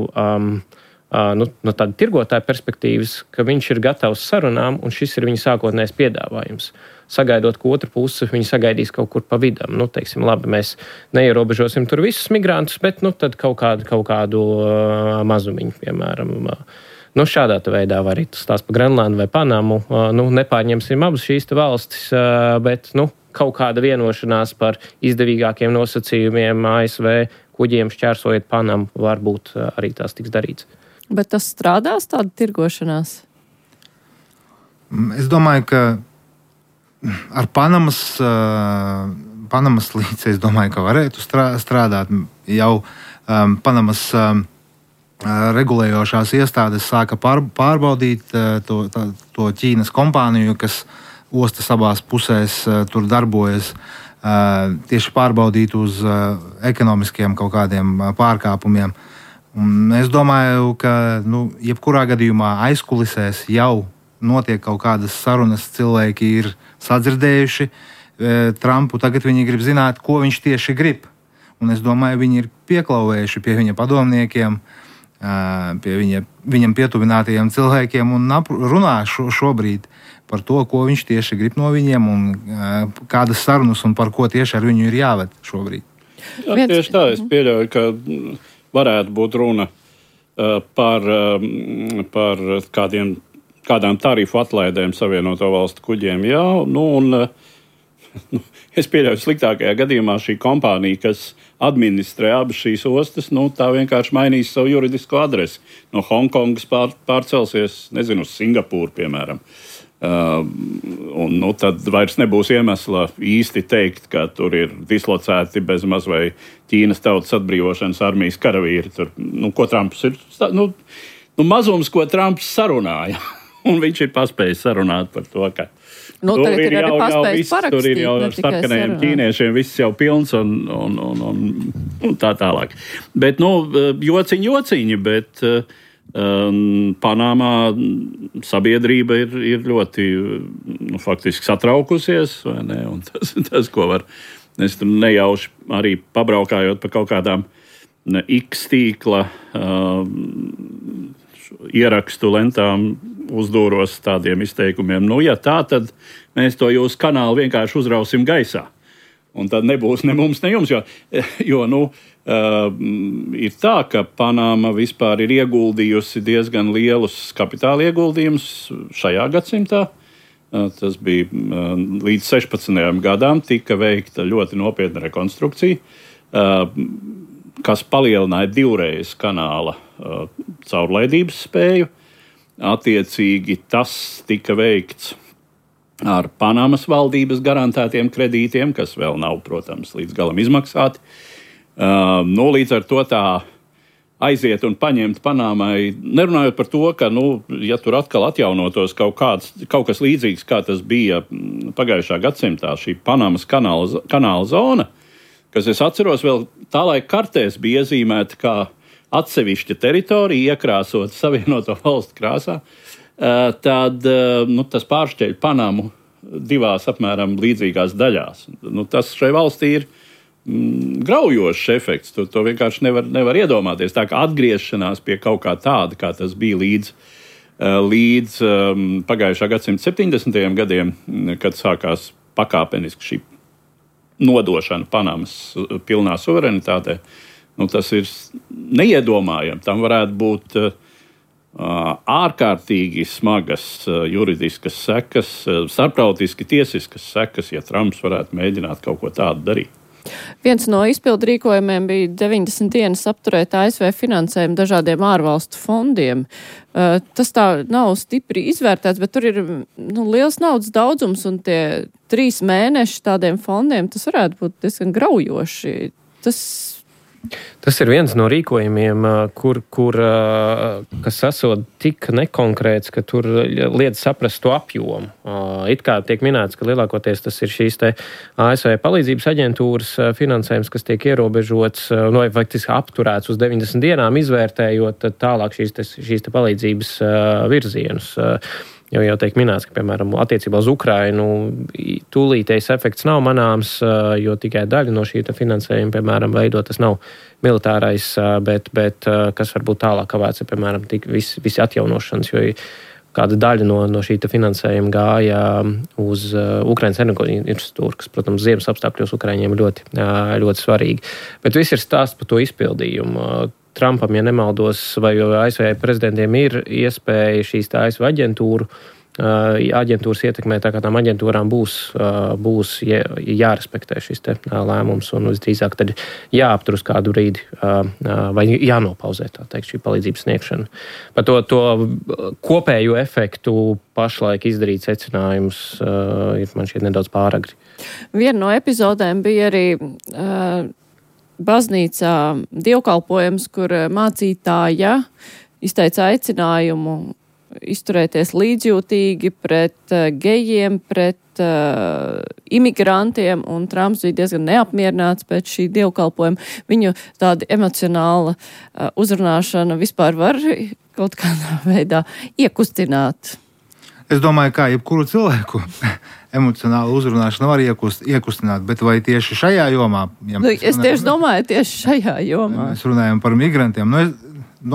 no tāda tirgotāja perspektīvas, ka viņš ir gatavs sarunām, un šis ir viņa sākotnējais piedāvājums. Sagaidot, ka otra puse viņi sagaidīs kaut kur pa vidam. Teiksim, labi, mēs neierobežosim tur visus migrantus, bet tad kaut kādu mazumiņu, piemēram. Šādā veidā var arī stāst par Grenlandu vai Panamu. Nepārņemsim abas šīs valstis, bet kaut kāda vienošanās par izdevīgākiem nosacījumiem ASV kuģiem šķērsojot Panamu varbūt arī tās tiks darīts. Bet tas strādās tāda tirgošanās? Es domāju, ka ar Panamas līci, es domāju, ka varētu strādāt. Jau Panamas regulējošās iestādes sāka pārbaudīt to Ķīnas kompāniju, kas ostas abās pusēs tur darbojas, tieši pārbaudīt uz ekonomiskiem kaut kādiem pārkāpumiem. Un es domāju, ka jebkurā gadījumā aizkulisēs jau notiek kaut kādas sarunas, cilvēki ir sadzirdējuši Trumpu, tagad viņi grib zināt, ko viņš tieši grib. Un es domāju, viņi ir pieklauvējuši pie viņa padomniekiem, pie viņam pietuvinātajiem cilvēkiem un runā šobrīd par to, ko viņš tieši grib no viņiem un kādas sarunas un par ko tieši ar viņu ir jāved šobrīd. Jā, tieši tā, es pieļauju, ka varētu būt runa par kādām tarifu atlaidēm Savienoto Valstu kuģiem. Jā, es pieļauju, sliktākajā gadījumā šī kompānija, kas administrē abas šīs ostas, tā vienkārši mainīs savu juridisko adresi. No Hongkongas pārcelsies, nezinu, uz Singapūru, piemēram. Un tad vairs nebūs iemesla īsti teikt, ka tur ir dislocēti bezmaz vai Ķīnas tautas atbrīvošanas armijas karavīri. Tur, ko Trumps ir, mazums, ko Trumps sarunāja. Un viņš ir paspējis sarunāt par to, ka tur ir jau viss, tur ir jau ar sarkanajiem ķīniešiem viss jau pilns un tā tālāk. Bet, jociņi, bet Panamā sabiedrība ir ļoti faktiski satraukusies, vai ne? Un tas, ko var, es tur nejauši arī pabraukājot pa kaut kādām X tīkla ierakstu lentām uzdūros tādiem izteikumiem. Ja tā, tad mēs to jūsu kanālu vienkārši uzrausim gaisā. Un tad nebūs ne mums, ne jums, jo ir tā, ka Panama vispār ir ieguldījusi diezgan lielus kapitāla ieguldījumus šajā gadsimtā. Tas bija līdz 16. gadām tika veikta ļoti nopietna rekonstrukcija, kas palielināja divreiz kanāla caurlaidības spēju. Attiecīgi tas tika veikts ar Panamas valdības garantētiem kredītiem, kas vēl nav, protams, līdz galam izmaksāti. Līdz ar to tā aiziet un paņemt Panamai, nerunājot par to, ka, ja tur atkal atjaunotos kaut kas līdzīgs, kā tas bija pagājušā gadsimtā, šī Panamas kanāla zona, kas es atceros vēl tā laika kartēs bija iezīmēta kā atsevišķa teritorija, iekrāsot Savienoto Valstu krāsā, tad tas pāršķeļ Panamu divās apmēram līdzīgās daļās. Tas šai valstī ir graujošs efekts. To vienkārši nevar iedomāties. Tā kā atgriešanās pie kaut kā tāda, kā tas bija līdz pagājušā gadsimta 70. gadiem, kad sākās pakāpeniski šī nodošana Panamas pilnā suverenitātē. Tas ir neiedomājami. Tam varētu būt ārkārtīgi smagas juridiskas sekas, starptautiski tiesiskas sekas, ja Trumps varētu mēģināt kaut ko tādu darīt. Viens no izpildu rīkojumiem bija 90 dienas apturēt ASV finansējumu dažādiem ārvalstu fondiem. Tas tā nav stipri izvērtēts, bet tur ir liels naudas daudzums un tie 3 mēneši tādiem fondiem, tas varētu būt diezgan graujoši. Tas ir viens no rīkojumiem, kas esot tik nekonkrēts, ka tur liedz saprast to apjomu. It kā tiek minēts, ka lielākoties tas ir šīs te ASV palīdzības aģentūras finansējums, kas tiek ierobežots, vai faktiski apturēts uz 90 dienām, izvērtējot tālāk šīs te palīdzības virzienus. Jau tiek minēts, ka, piemēram, attiecībā uz Ukrainu tūlītējs efekts nav manāms, jo tikai daļa no šī finansējuma, piemēram, veido, tas nav militārais, bet kas varbūt tālāk kavēts, piemēram, visi atjaunošanas, jo kāda daļa no šī finansējuma gāja uz Ukrainas energoinfrastruktūru, kas, protams, ziemas apstākļos Ukraiņiem ir ļoti, ļoti svarīgi. Bet viss ir stāsts par to izpildījumu. Trumpam, ja nemaldos, vai ASV prezidentiem ir iespēja šīs ASV aģentūras ietekmēt, tā kā tām aģentūrām būs jārespektē šis lēmums un visdrīzāk tad jāaptur uz kādu brīdi vai jānopauzē, tā teikt, šī palīdzības sniegšana. Par to kopējo efektu pašlaik izdarīt secinājumus ir man šķiet nedaudz pāragri. Viena no epizodēm bija arī baznīcā dievkalpojums, kur mācītāja izteica aicinājumu izturēties līdzjūtīgi pret gejiem, pret imigrantiem, un Trumps bija diezgan neapmierināts pēc šī dievkalpojuma. Viņu tāda emocionāla uzrunāšana vispār var kaut kādā veidā iekustināt. Es domāju, kā jebkuru cilvēku emocionālu uzrunāšanu var iekustināt, bet vai tieši šajā jomā? Es tieši domāju, tieši šajā jomā. Mēs runājam par migrantiem.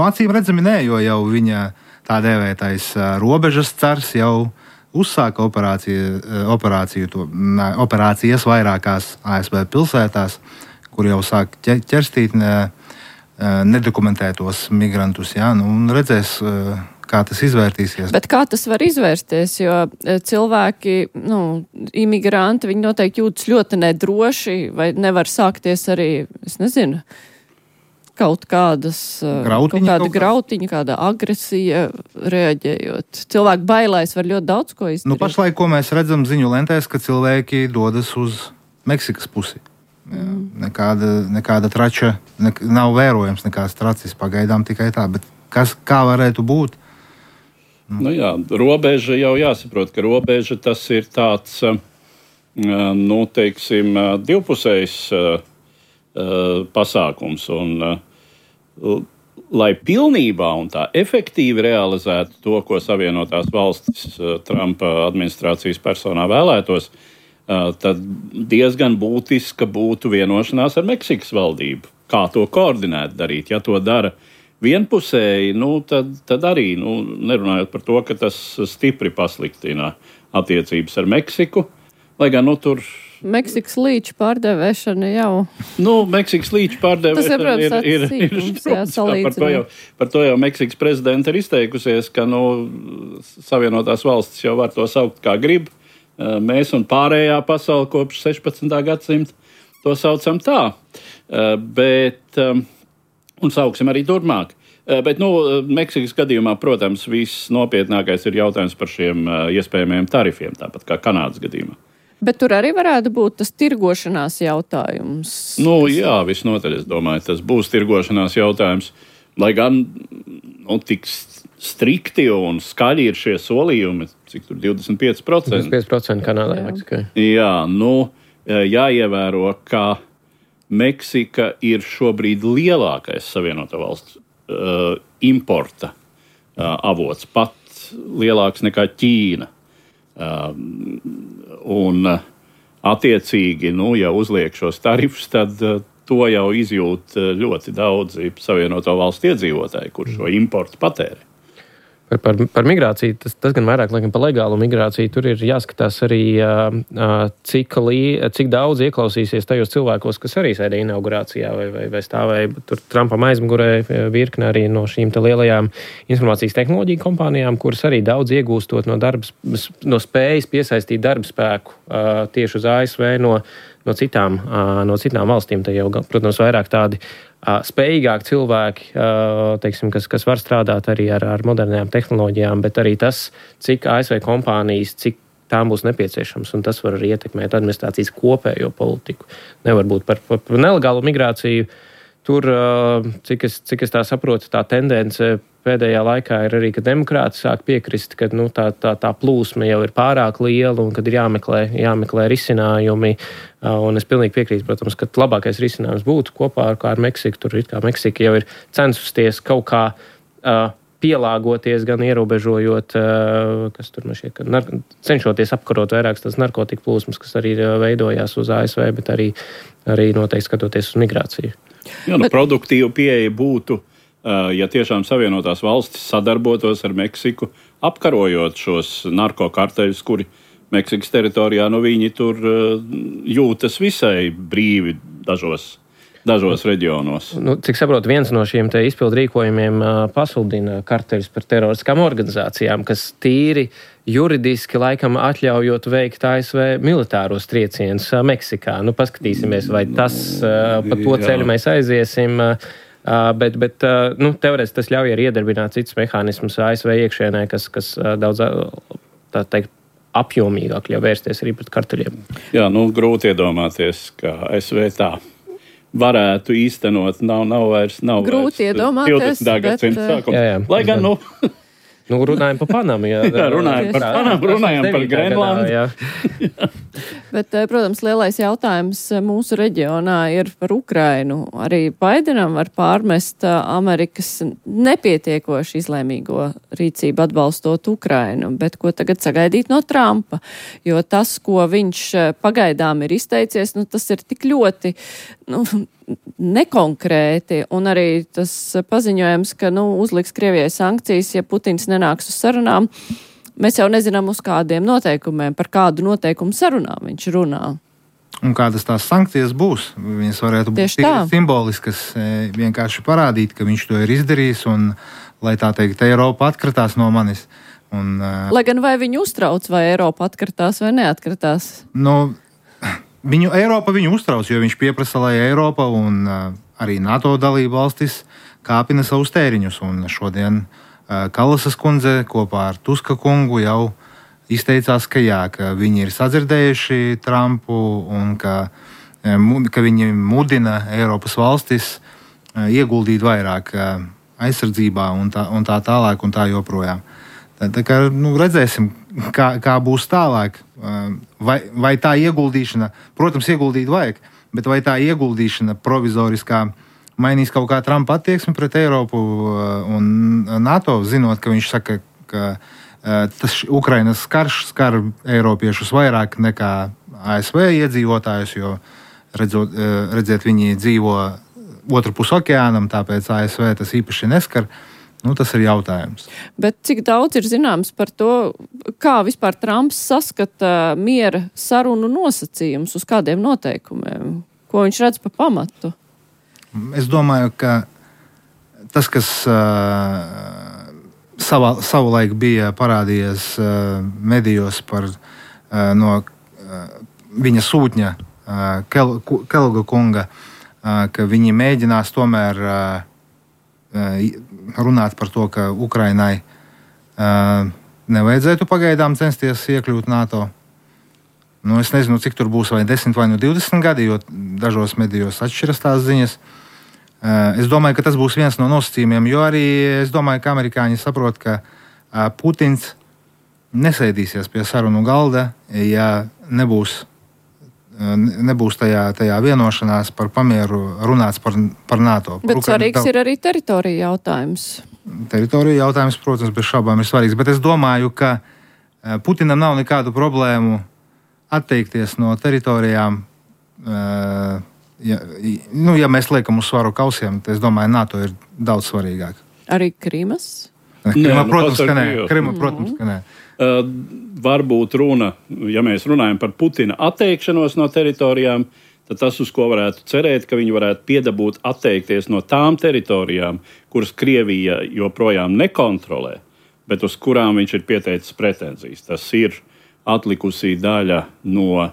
Acīm redzami nē, jo jau viņa tā dēvētais robežas cars jau uzsāka operācijas vairākās ASV pilsētās, kur jau sāk ķerstīt nedokumentētos migrantus. Ja? Un redzēs, kā tas izvērtīsies. Bet kā tas var izvērsties, jo cilvēki, imigranti, viņi noteikti jūtas ļoti nedroši, vai nevar sākties arī, es nezinu, kaut kāda grautiņa, kāda agresija reaģējot. Cilvēku bailēs var ļoti daudz ko izdarīt. Pašlaik, ko mēs redzam ziņu lentēs, ka cilvēki dodas uz Meksikas pusi. Nekāda trača, nav vērojams nekāds tracis pagaidām tikai tā, bet kā varētu būt? Robeža jau jāsaprot, ka robeža tas ir tāds, divpusējs pasākums. Un, lai pilnībā un tā efektīvi realizētu to, ko Savienotās valstis Trumpa administrācijas personā vēlētos, tad diezgan būtiska būtu vienošanās ar Meksikas valdību. Kā to koordinēt darīt? Ja to dara vienpusēji, tad arī, nerunājot par to, ka tas stipri pasliktina attiecības ar Meksiku, lai gan tur Meksikas līča pārdevēšana jau. Meksikas līča pārdevēšana ir par to jau Meksikas prezidenta ir izteikusies, ka Savienotās valstis jau var to saukt kā grib. Mēs un pārējā pasaule kopš 16. gadsimta to saucam tā. Un sauksim arī turpmāk. Bet, Meksikas gadījumā, protams, viss nopietnākais ir jautājums par šiem iespējamiem tarifiem, tāpat kā Kanādas gadījumā. Bet tur arī varētu būt tas tirgošanās jautājums. Jā, visnotaļ, es domāju, tas būs tirgošanās jautājums. Lai gan tik strikti un skaļi ir šie solījumi, cik tur 25%. 25% Kanādai, Meksikai. Jā, jāievēro, ka Meksika ir šobrīd lielākais Savienoto valstu importa avots, pat lielāks nekā Ķīna. Un attiecīgi, ja uzliek šos tarifus, tad to jau izjūt ļoti daudzi Savienoto valstu iedzīvotāji, kur šo importu patērē. Par migrāciju, tas gan vairāk, laikam, par legālu migrāciju, tur ir jāskatās arī, cik daudz ieklausīsies tajos cilvēkos, kas arī sēdēja inaugurācijā vai stāvēja tur Trumpam aizmugurē virkne arī no šīm te lielajām informācijas tehnoloģiju kompānijām, kuras arī daudz iegūstot no spējas piesaistīt darba spēku tieši uz ASV no citām valstīm. Te jau, protams, vairāk tādi spējīgāki cilvēki, teiksim, kas var strādāt arī ar modernām tehnoloģijām, bet arī tas, cik ASV kompānijas, cik tām būs nepieciešams, un tas var arī ietekmēt administrācijas kopējo politiku. Nevar būt par nelegālu migrāciju. Tur, cik es tā saprotu, tā tendence pēdējā laikā ir arī, ka demokrāti sāk piekrist, ka tā plūsma jau ir pārāk liela un kad ir jāmeklē risinājumi. Un es pilnīgi piekrītu, protams, ka labākais risinājums būtu kopā ar Meksiku. Tur it kā Meksika jau ir censusties kaut kā pielāgoties, gan ierobežojot, kas tur man šķiet, cenšoties apkarot vairākas tās narkotiku plūsmas, kas arī veidojās uz ASV, bet arī noteikti skatoties uz migrāciju. Jā, produktīva pieeja būtu, ja tiešām Savienotās valstis sadarbotos ar Meksiku, apkarojot šos narkokarteļus, kuri Meksikas teritorijā, viņi tur jūtas visai brīvi dažos reģionos. Cik saprotu, viens no šiem te izpildu rīkojumiem pasludina karteļus par teroristiskām organizācijām, kas tīri juridiski laikam atļaujot veikt ASV militāros triecienus Meksikā. Paskatīsimies, vai tas pa to ceļu mēs aiziesim. Bet teorētiski tas ļauj arī iedarbināt citus mehānismus ASV iekšienē, kas daudz, tā teikt, apjomīgāk ļauj vērsties arī pret karteļiem. Jā, grūti iedomāties, ka ASV tā varētu īstenot, nav vairs grūti iedomāties, 20. gadsimta sākums. Lai gan, Runājam par Panamu. Jā, runājam par Panamu, runājam par Grenlandu. Bet, protams, lielais jautājums mūsu reģionā ir par Ukrainu. Arī Baidenam var pārmest Amerikas nepietiekoši izlēmīgo rīcību atbalstot Ukrainu, bet ko tagad sagaidīt no Trumpa? Jo tas, ko viņš pagaidām ir izteicies, tas ir tik ļoti nekonkrēti, un arī tas paziņojums, ka uzliks Krievijai sankcijas, ja Putins nenāks uz sarunām. Mēs jau nezinām uz kādiem noteikumiem, par kādu noteikumu sarunām viņš runā. Un kādas tās sankcijas būs? Viņas varētu būt simboliskas, vienkārši parādīt, ka viņš to ir izdarījis, un, lai tā teikt, Eiropa atkritās no manis. Un, lai gan vai viņu uztrauc, vai Eiropa atkritās vai neatkritās? Eiropa viņu uztrauc, jo viņš pieprasa, lai Eiropa un arī NATO dalība valstis kāpina savus tēriņus. Un šodien Kalasas kundze kopā ar Tuska kungu jau izteicās, ka viņi ir sadzirdējuši Trumpu un ka viņi mudina Eiropas valstis ieguldīt vairāk aizsardzībā un tā tālāk un tā joprojām. Tā kā redzēsim, kā būs tālāk. Vai tā ieguldīšana, protams, ieguldīt vajag, bet vai tā ieguldīšana provizoriskā mainīs kaut kā Trumpa attieksmi pret Eiropu un NATO, zinot, ka viņš saka, ka tas Ukrainas karš skar eiropiešus vairāk nekā ASV iedzīvotājus, jo redziet, viņi dzīvo otru pusi okeānam, tāpēc ASV tas īpaši neskar. Tas ir jautājums. Bet cik daudz ir zināms par to, kā vispār Trumps saskata miera sarunu nosacījumus, uz kādiem noteikumiem? Ko viņš redz pa pamatu? Es domāju, ka tas, kas savulaik bija parādījies medijos par no viņa sūtņa Kelga kunga, ka viņi mēģinās tomēr runāt par to, ka Ukrainai nevajadzētu pagaidām censties iekļūt NATO. Es nezinu, cik tur būs vai 10 vai 20 gadi, jo dažos medijos atšķiras tās ziņas. Es domāju, ka tas būs viens no nosacījumiem, jo arī es domāju, ka amerikāņi saprot, ka Putins nesēdīsies pie sarunu galda, ja nebūs tajā vienošanās par pamieru runāts par NATO. Bet svarīgs ir arī teritorija jautājums. Teritorija jautājums, protams, bez šaubām ir svarīgs, bet es domāju, ka Putinam nav nekādu problēmu atteikties no teritorijām. Ja mēs liekam uz svaru kausiem, tad es domāju, NATO ir daudz svarīgāk. Arī Krimas? Protams, ka nē. Varbūt runa, ja mēs runājam par Putina atteikšanos no teritorijām, tad tas, uz ko varētu cerēt, ka viņi varētu piedabūt atteikties no tām teritorijām, kuras Krievija joprojām nekontrolē, bet uz kurām viņš ir pieteicis pretenzijas. Tas ir atlikusī daļa no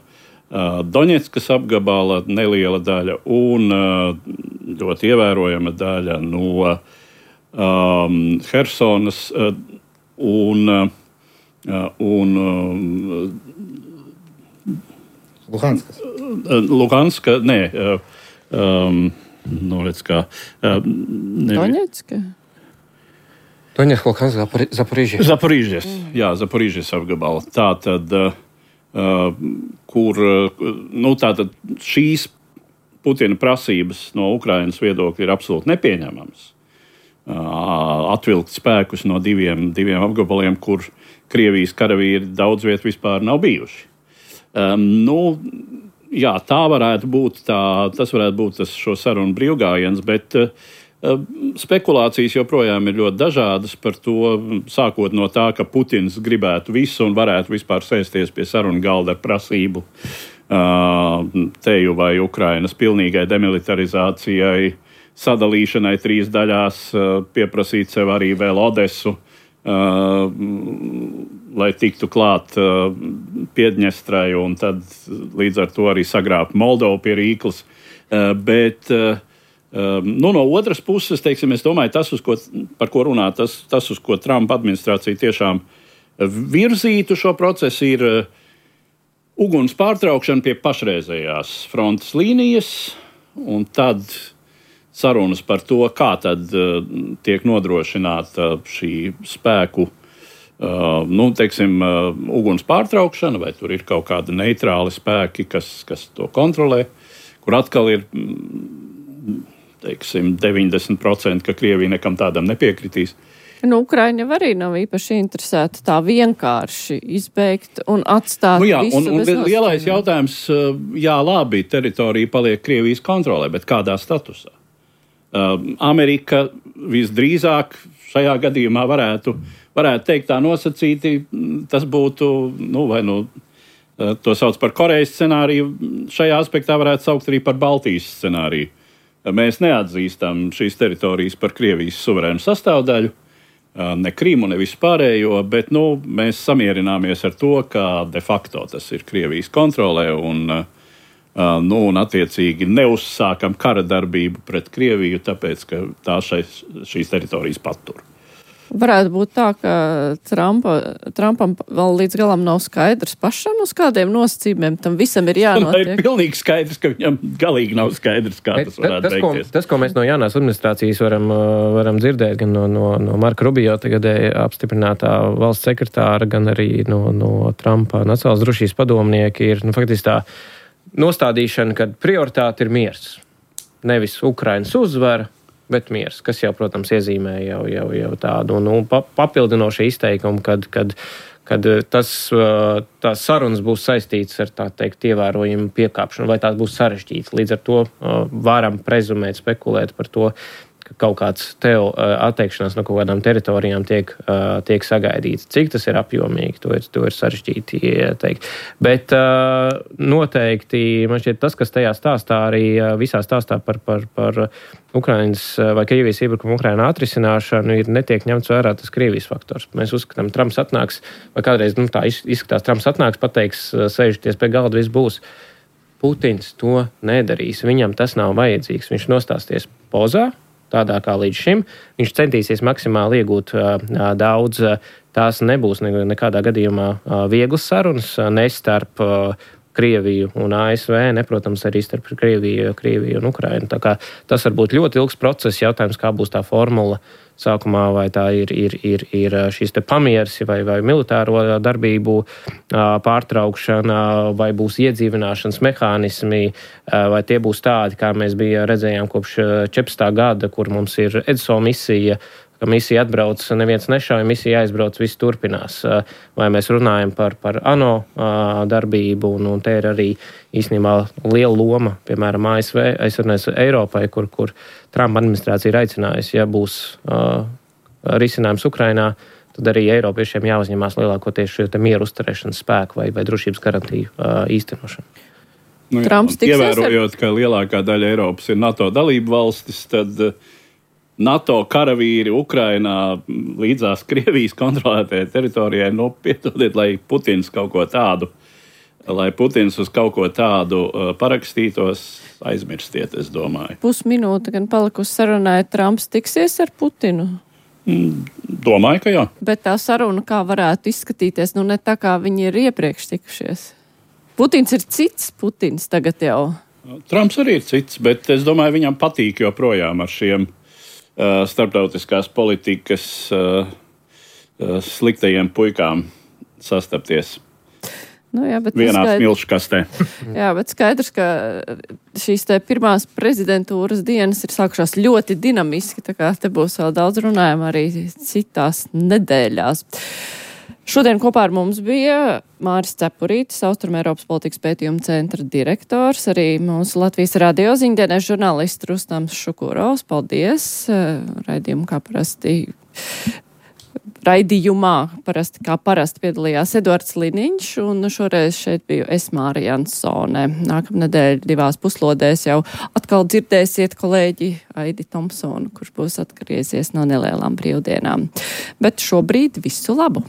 Doņetskas apgabala, neliela daļa un ļoti ievērojama daļa no Hersonas un Luhanska, nē, redz kā. Doņetska? Doņetska, Luhanska, Zaporīžas. Zaporīžas, jā, Zaporīžas apgabala. Tātad, kur, tātad šīs Putina prasības no Ukrainas viedokļa ir absolūti nepieņemamas. Atvilkt spēkus no diviem apgabaliem, kur Krievijas karavīri daudz viet vispār nav bijuši. Jā, tā varētu būt, tas varētu būt tas šo sarunu brīvgājiens, bet spekulācijas joprojām ir ļoti dažādas par to, sākot no tā, ka Putins gribētu visu un varētu vispār sēsties pie sarunu galda ar prasību teju vai Ukrainas pilnīgai demilitarizācijai, sadalīšanai 3 daļās, pieprasīt sev arī vēl Odesu, lai tiktu klāt Piedņestrai un tad līdz ar to arī sagrābt Moldovu pie Rīklas. Bet no otras puses, teiksim, es domāju, tas, par ko runā, tas, uz ko Trumpa administrācija tiešām virzītu šo procesu, ir uguns pārtraukšana pie pašreizējās frontes līnijas, un tad sarunas par to, kā tad tiek nodrošināta šī spēku teiksim, uguns pārtraukšana, vai tur ir kaut kādi neitrāli spēki, kas to kontrolē, kur atkal ir, teiksim, 90%, ka Krievija nekam tādam nepiekritīs. Ukraiņa arī nav īpaši interesēta tā vienkārši izbeigt un atstāt visu bez nosacījumiem. Lielais jautājums, labi, teritorija paliek Krievijas kontrolē, bet kādā statusā? Amerika visdrīzāk šajā gadījumā varētu teikt tā nosacīti, tas būtu, to sauc par Korejas scenāriju, šajā aspektā varētu saukt arī par Baltijas scenāriju. Mēs neatzīstam šīs teritorijas par Krievijas suverēnu sastāvdaļu, ne Krīmu, ne visu pārējo, bet mēs samierināmies ar to, ka de facto tas ir Krievijas kontrolē un attiecīgi neuzsākam kara darbību pret Krieviju, tāpēc, ka tā šīs teritorijas patur. Varētu būt tā, ka Trumpam vēl līdz galam nav skaidrs pašam, uz kādiem nosacījumiem tam visam ir jānotiek. Ir pilnīgi skaidrs, ka viņam galīgi nav skaidrs, kā tas varētu beigties. Tas, ko mēs no jaunās administrācijas varam dzirdēt, gan no Marka Rubio tagadēji apstiprinātā valsts sekretāra, gan arī no Trumpa nacionālās drošības padomnieki, ir faktiski tā nostādīšana, ka prioritāte ir miers. Nevis Ukrainas uzvara, bet miers, kas jau, protams, iezīmē jau tādu papildinošu izteikumu, kad tās sarunas būs saistītas ar, tā teikt, ievērojumu piekāpšanu, vai tās būs sarežģītas. Līdz ar to varam prezumēt, spekulēt par to, ka kaut kāds atteikšanās no kaut kādām teritorijām tiek sagaidīts. Cik tas ir apjomīgi, to ir sarežģīti teikt. Bet noteikti, man šķiet, tas, kas tajā stāstā arī visā stāstā par Ukrainas vai Krievijas iebrukumu Ukrainā atrisināšanu, netiek ņemts vērā tas Krievijas faktors. Mēs uzskatām, Trumps atnāks, vai kādreiz tā izskatās, Trumps atnāks, pateiks, sēžoties pie galda, viss būs. Putins to nedarīs, viņam tas nav vajadzīgs. Viņš nostāsties pozā, tādā kā līdz šim. Viņš centīsies maksimāli iegūt daudz. Tās nebūs nekādā gadījumā vieglas sarunas, ne starp Krieviju un ASV, ne, protams, arī starp Krieviju un Ukrainu. Tā kā tas var būt ļoti ilgs process, jautājums, kā būs tā formula sākumā, vai tā ir šīs te pamieres vai militāro darbību pārtraukšana, vai būs iedzīvināšanas mehānismi, vai tie būs tādi, kā mēs redzējām kopš 14. gada, kur mums ir EDSO misija, ka misija atbrauc, neviens nešauja, misija aizbrauc, viss turpinās. Vai mēs runājam par ANO darbību, un te ir arī īstenībā liela loma, piemēram, ASV, Eiropai, kur Trumpa administrācija ir aicinājusi, ja būs risinājums Ukrainā, tad arī Eiropiešiem jāuzņemās lielākoties šo mieru uzturēšanas spēku vai drošības garantiju īstenošanu. Ievērojot, ka lielākā daļa Eiropas ir NATO dalību valstis, tad NATO karavīri Ukrainā līdzās Krievijas kontrolētajai teritorijai, piedodiet, lai Putins uz kaut ko tādu parakstītos, aizmirstiet, es domāju. Pusminūte gan palikusi sarunai, Trumps tiksies ar Putinu? Domāju, ka jā. Bet tā saruna kā varētu izskatīties, ne tā kā viņi ir iepriekš tikušies. Putins ir cits Putins tagad jau. Trumps arī ir cits, bet es domāju, viņam patīk joprojām ar šiem starptautiskās politikas sliktajiem puikām sastapties. Vienā smilškastē. Jā, bet skaidrs, ka šīs pirmās prezidentūras dienas ir sākušās ļoti dinamiski, tā kā te būs vēl daudz runājuma arī citās nedēļās. Šodien kopā ar mums bija Māris Cepurītis, Austrumēropas politikas pētījuma centra direktors, arī mūsu Latvijas radio ziņdienas žurnālists Rustams Šukurovs. Paldies! Raidījumā kā parasti piedalījās Eduards Liniņš, un šoreiz šeit biju es, Māra Jansone. Nākamnedēļ 2 puslodēs jau atkal dzirdēsiet kolēģi Aidi Tomsonu, kurš būs atgriezies no nelielām brīvdienām. Bet šobrīd visu labu!